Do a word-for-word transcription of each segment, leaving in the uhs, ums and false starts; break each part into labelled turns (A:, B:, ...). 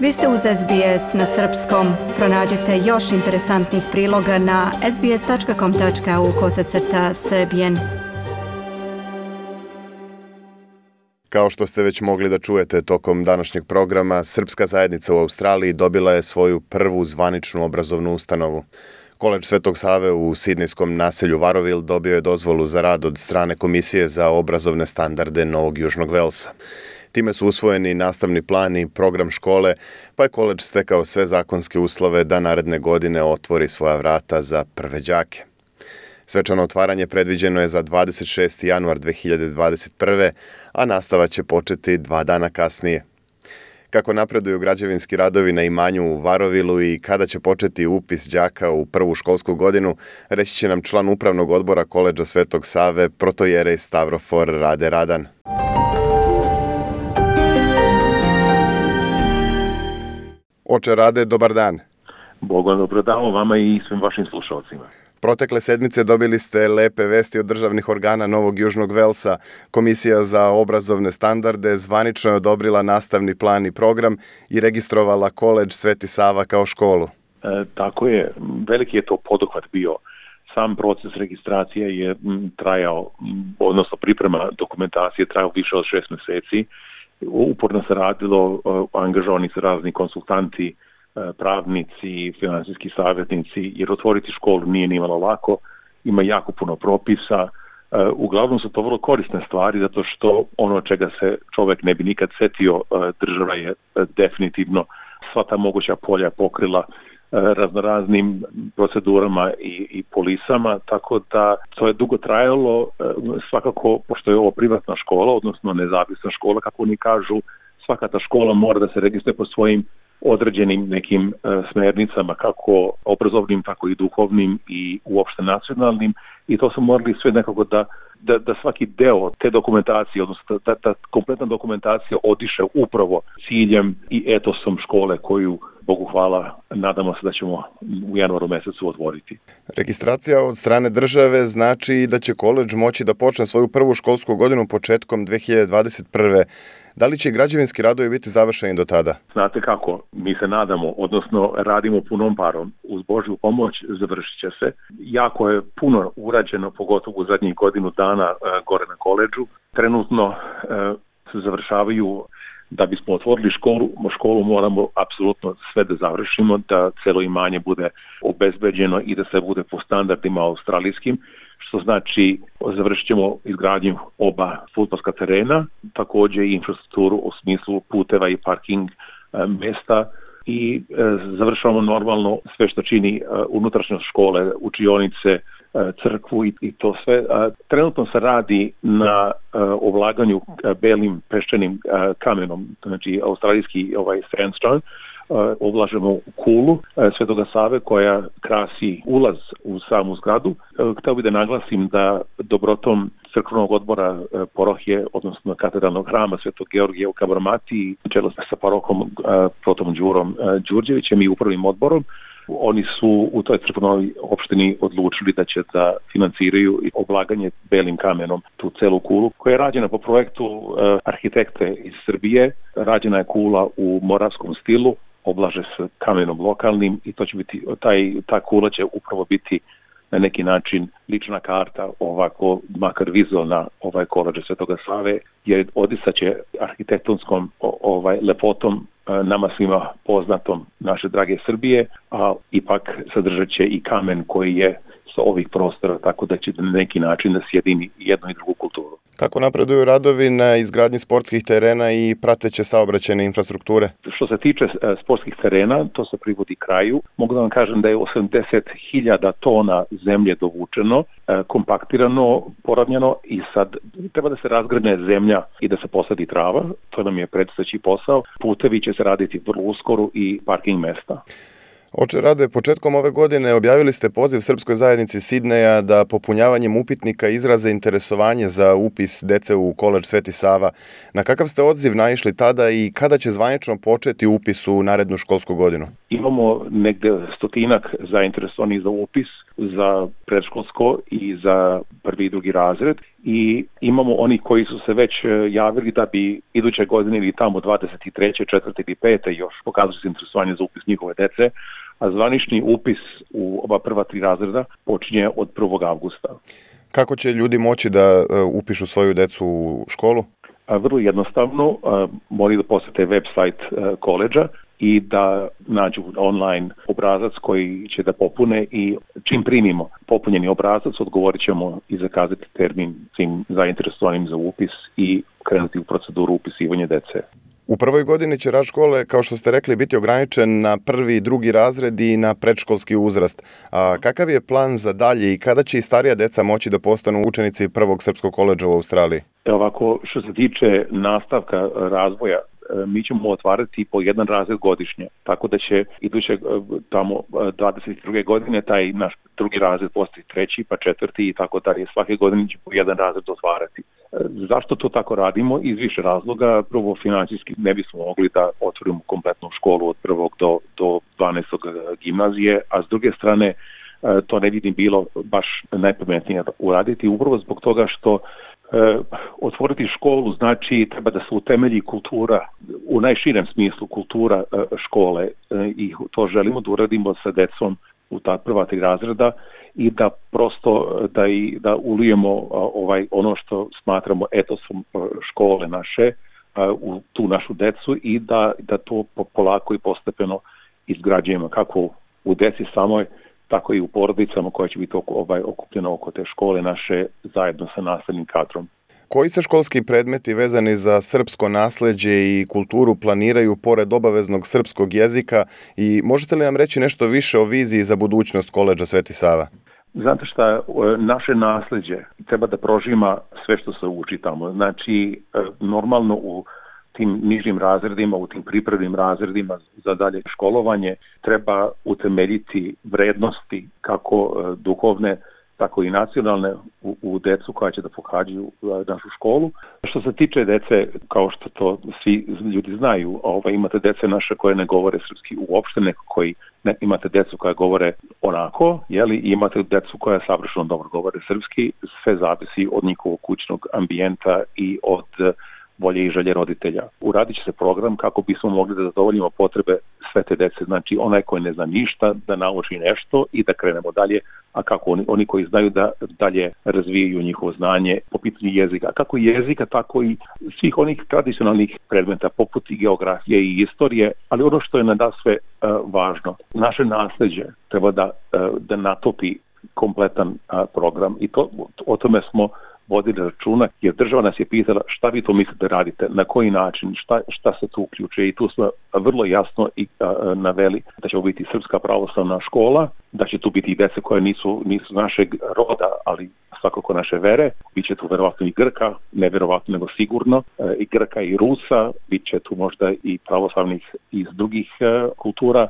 A: Vi ste uz S B S na srpskom. Pronađite još interesantnih priloga na sbs.com.au kosacrta srbijen.
B: Kao što ste već mogli da čujete tokom današnjeg programa, srpska zajednica u Australiji dobila je svoju prvu zvaničnu obrazovnu ustanovu. Koledž Svetog Save u sidnejskom naselju Warrowil dobio je dozvolu za rad od strane Komisije za obrazovne standarde Novog Južnog Velsa. Time su usvojeni nastavni plan i program škole, pa je koledž stekao sve zakonske uslove da naredne godine otvori svoja vrata za prve đake. Svečano otvaranje predviđeno je za dvadeset šesti januar dve hiljade dvadeset prve. a nastava će početi dva dana kasnije. Kako napreduju građevinski radovi na imanju u Warrowilu i kada će početi upis đaka u prvu školsku godinu, reći će nam član upravnog odbora Koledža Svetog Save, protojerej Stavrofor Rade Radan. Oče Rade, dobar dan.
C: Bogom dobro dan vama i svim vašim slušalcima.
B: Protekle sedmice dobili ste lepe vesti od državnih organa Novog Južnog Velsa. Komisija za obrazovne standarde zvanično je odobrila nastavni plan i program i registrovala Koledž Sveti Sava kao školu.
C: E, tako je, veliki je to poduhvat bio. Sam proces registracije je trajao, odnosno priprema dokumentacije trajao više od šest meseci. Uporno se radilo, angažovani su razni konsultanti, pravnici, finansijski savjetnici, jer otvoriti školu nije nimalo lako, ima jako puno propisa. Uglavnom su to vrlo korisne stvari, zato što ono čega se čovjek ne bi nikad setio, država je definitivno sva ta moguća polja pokrila raznoraznim procedurama i, i polisama, tako da to je dugo trajalo. Svakako, pošto je ovo privatna škola, odnosno nezavisna škola, kako oni kažu, svaka ta škola mora da se registruje po svojim određenim nekim e, smernicama, kako obrazovnim, tako i duhovnim i uopšte nacionalnim, i to su morali sve nekako da, da, da svaki deo te dokumentacije, odnosno da ta kompletna dokumentacija odiše upravo ciljem i etosom škole koju, Bogu hvala, nadamo se da ćemo u januaru mesecu otvoriti.
B: Registracija od strane države znači da će koledž moći da počne svoju prvu školsku godinu početkom dve hiljade dvadeset prve. Da li će građevinski radovi biti završeni do tada?
C: Znate kako, mi se nadamo, odnosno radimo punom parom. Uz Božju pomoć završit će se. Jako je puno urađeno, pogotovo u zadnjih godinu dana e, gore na koledžu. Trenutno e, se završavaju, da bismo otvorili školu, školu moramo apsolutno sve da završimo, da celo imanje bude obezbeđeno i da se bude po standardima australijskim, što znači završit ćemo izgradnju oba fudbalska terena, također i infrastrukturu u smislu puteva i parking e, mesta i e, završavamo normalno sve što čini e, unutrašnjost škole, učionice, e, crkvu i, i to sve. E, trenutno se radi na e, ovlaganju e, belim peščanim e, kamenom, znači australijski ovaj sandstone. Oblažemo u kulu Svetoga Save koja krasi ulaz u samu zgradu. Hteo bih da naglasim da dobrotom crkvenog odbora parohije, odnosno katedralnog hrama Svetog Georgija u Kabarmati, čelo sa parohom protom Đurom Đurđevićem i upravnim odborom, oni su u toj crkvenoj opštini odlučili da će da financiraju oblaganje belim kamenom tu celu kulu, koja je rađena po projektu arhitekte iz Srbije. Rađena je kula u moravskom stilu, oblaže se kamenom lokalnim i to će biti, taj, ta kula će upravo biti na neki način lična karta, ovako makar vizualna ovaj koledža Svetoga Save, jer odisaće arhitektonskom ovaj lepotom nama svima poznatom naše drage Srbije, a ipak sadržat će i kamen koji je sa ovih prostora, tako da će na neki način da sjedini jednu i drugu kulturu.
B: Kako napreduju radovi na izgradnji sportskih terena i prateće saobraćajne infrastrukture?
C: Što se tiče sportskih terena, to se privodi kraju. Mogu da vam kažem da je osamdeset hiljada tona zemlje dovučeno, kompaktirano, poravnjeno i sad treba da se razgrne zemlja i da se posadi trava. To nam je predstojeći posao. Putevi će se raditi vrlo uskoro i parking mesta.
B: Oče Rade, početkom ove godine objavili ste poziv Srpskoj zajednici Sidneja da popunjavanjem upitnika izraze interesovanje za upis dece u Koledž Sveti Sava. Na kakav ste odziv naišli tada i kada će zvanično početi upis u narednu školsku godinu?
C: Imamo negde stotinak zainteresovanih za upis za predškolsko i za prvi i drugi razred i imamo oni koji su se već javili da bi iduće godine ili tamo dvadeset treće, četvrte ili pete još pokazali se interesovanje za upis njihove dece, a zvanični upis u oba prva tri razreda počinje od prvog avgusta.
B: Kako će ljudi moći da upišu svoju decu u školu?
C: Vrlo jednostavno, moraju da posete website koledža i da nađu online obrazac koji će da popune i čim primimo popunjeni obrazac odgovorit ćemo i zakazati termin svim zainteresovanim za upis i krenuti u proceduru upisivanja dece.
B: U prvoj godini će rad škole, kao što ste rekli, biti ograničen na prvi i drugi razred i na predškolski uzrast. A kakav je plan za dalje i kada će i starija deca moći da postanu učenici prvog srpskog koledža u Australiji?
C: Ovako, što se tiče nastavka razvoja, mi ćemo otvarati po jedan razred godišnje, tako da će iduće tamo dvadeset druge godine taj naš drugi razred postati treći, pa četvrti i tako dalje. Svake godine će po jedan razred otvarati. Zašto to tako radimo? Iz više razloga. Prvo, financijski ne bismo mogli da otvorimo kompletnu školu od prvog do, do dvanaestog gimnazije, a s druge strane to ne vidim bilo baš najpametnije uraditi, upravo zbog toga što E, otvoriti školu znači treba da se utemelji kultura, u najširem smislu kultura e, škole e, i to želimo da uradimo sa decom u ta prva tri razreda i da prosto da, i, da ulijemo a, ovaj, ono što smatramo etosom škole naše a, u tu našu decu i da, da to polako i postepeno izgrađujemo kako u deci samoj, tako i u porodicama koja će biti oko, ovaj, okupljena oko te škole naše zajedno sa nastavnim kadrom.
B: Koji se školski predmeti vezani za srpsko nasleđe i kulturu planiraju pored obaveznog srpskog jezika i možete li nam reći nešto više o viziji za budućnost koledža Sveti Sava?
C: Znate šta, naše nasleđe treba da prožima sve što se uči tamo. Znači, normalno u tim nižim razredima, u tim pripremnim razredima za dalje školovanje treba utemeljiti vrednosti kako duhovne, tako i nacionalne u, u decu koja će da pohađaju našu školu. Što se tiče dece, kao što to svi ljudi znaju, ovaj, imate dece naše koje ne govore srpski uopšte, neko koji ne, imate decu koja govore onako, jeli, i imate decu koja savršeno dobro govore srpski, sve zavisi od njihovog kućnog ambijenta i od volje i želje roditelja. Uradit će se program kako bismo mogli da zadovoljimo potrebe sve te dece. Znači, onaj koji ne zna ništa, da nauči nešto i da krenemo dalje, a kako oni, oni koji znaju da dalje razvijaju njihovo znanje po pitanju jezika. Kako jezika, tako i svih onih tradicionalnih predmeta, poput i geografije i istorije, ali ono što je nadasve uh, važno, naše nasleđe treba da, uh, da natopi kompletan uh, program i to, o tome smo vodili računa, jer država nas je pitala šta vi to mislite da radite, na koji način, šta, šta se tu uključuje i tu smo vrlo jasno i a, naveli da će biti Srpska pravoslavna škola, da će tu biti i dece koje nisu, nisu našeg roda, ali svakako naše vere, bit će tu verovatno i Grka, ne verovatno nego sigurno, e, i Grka i Rusa, bit će tu možda i pravoslavnih iz drugih e, kultura,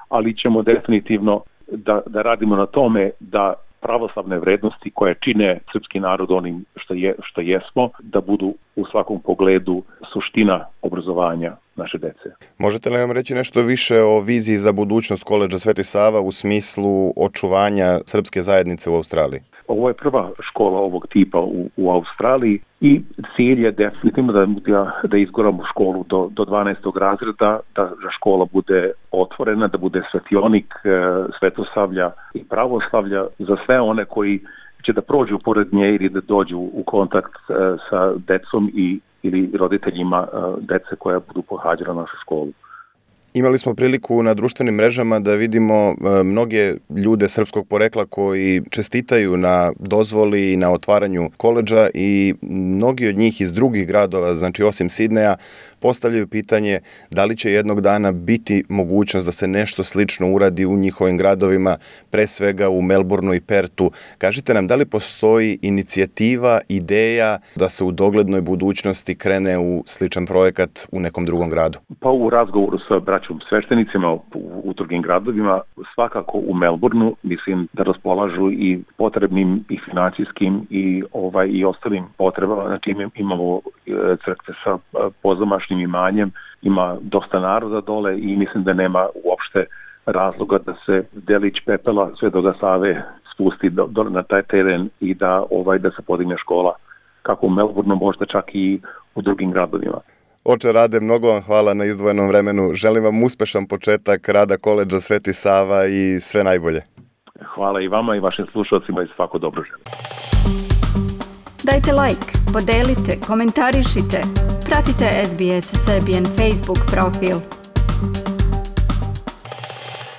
C: ali ćemo definitivno da, da radimo na tome da pravoslavne vrednosti koje čine srpski narod onim što, je, što jesmo, da budu u svakom pogledu suština obrazovanja naše dece.
B: Možete li nam reći nešto više o viziji za budućnost koledža Sveti Sava u smislu očuvanja srpske zajednice u Australiji?
C: Ovo je prva škola ovog tipa u, u Australiji i cilj je definitivno da, da, da izguramo školu do, do dvanaestog razreda, da škola bude otvorena, da bude svetionik e, Svetosavlja i pravoslavlja za sve one koji će da prođu pored nje ili da dođu u kontakt e, sa decom i ili roditeljima e, dece koja budu pohađala našu školu.
B: Imali smo priliku na društvenim mrežama da vidimo e, mnoge ljude srpskog porekla koji čestitaju na dozvoli i na otvaranju koledža i mnogi od njih iz drugih gradova, znači osim Sidneja, postavljaju pitanje da li će jednog dana biti mogućnost da se nešto slično uradi u njihovim gradovima, pre svega u Melbourneu i Pertu. Kažite nam, da li postoji inicijativa, ideja da se u doglednoj budućnosti krene u sličan projekat u nekom drugom gradu?
C: Pa u razgovoru sa braćom sveštenicima u, u drugim gradovima, svakako u Melbourneu, mislim da raspolažu i potrebnim i financijskim i ovaj i ostalim potrebama. Znači imamo crkve sa pozamašnjim današnjim imanjem. Ima dosta naroda dole i mislim da nema uopšte razloga da se delić pepela Svetoga Save spusti do, do, na taj teren i da ovaj da se podigne škola kako u Melbourneu, možda čak i u drugim gradovima.
B: Oče Rade, mnogo vam hvala na izdvojenom vremenu. Želim vam uspešan početak rada koledža Sveti Sava i sve najbolje.
C: Hvala i vama i vašim slušalcima i svako dobro želim.
A: Dajte like, podelite, komentarišite, pratite S B S Serbian Facebook profil.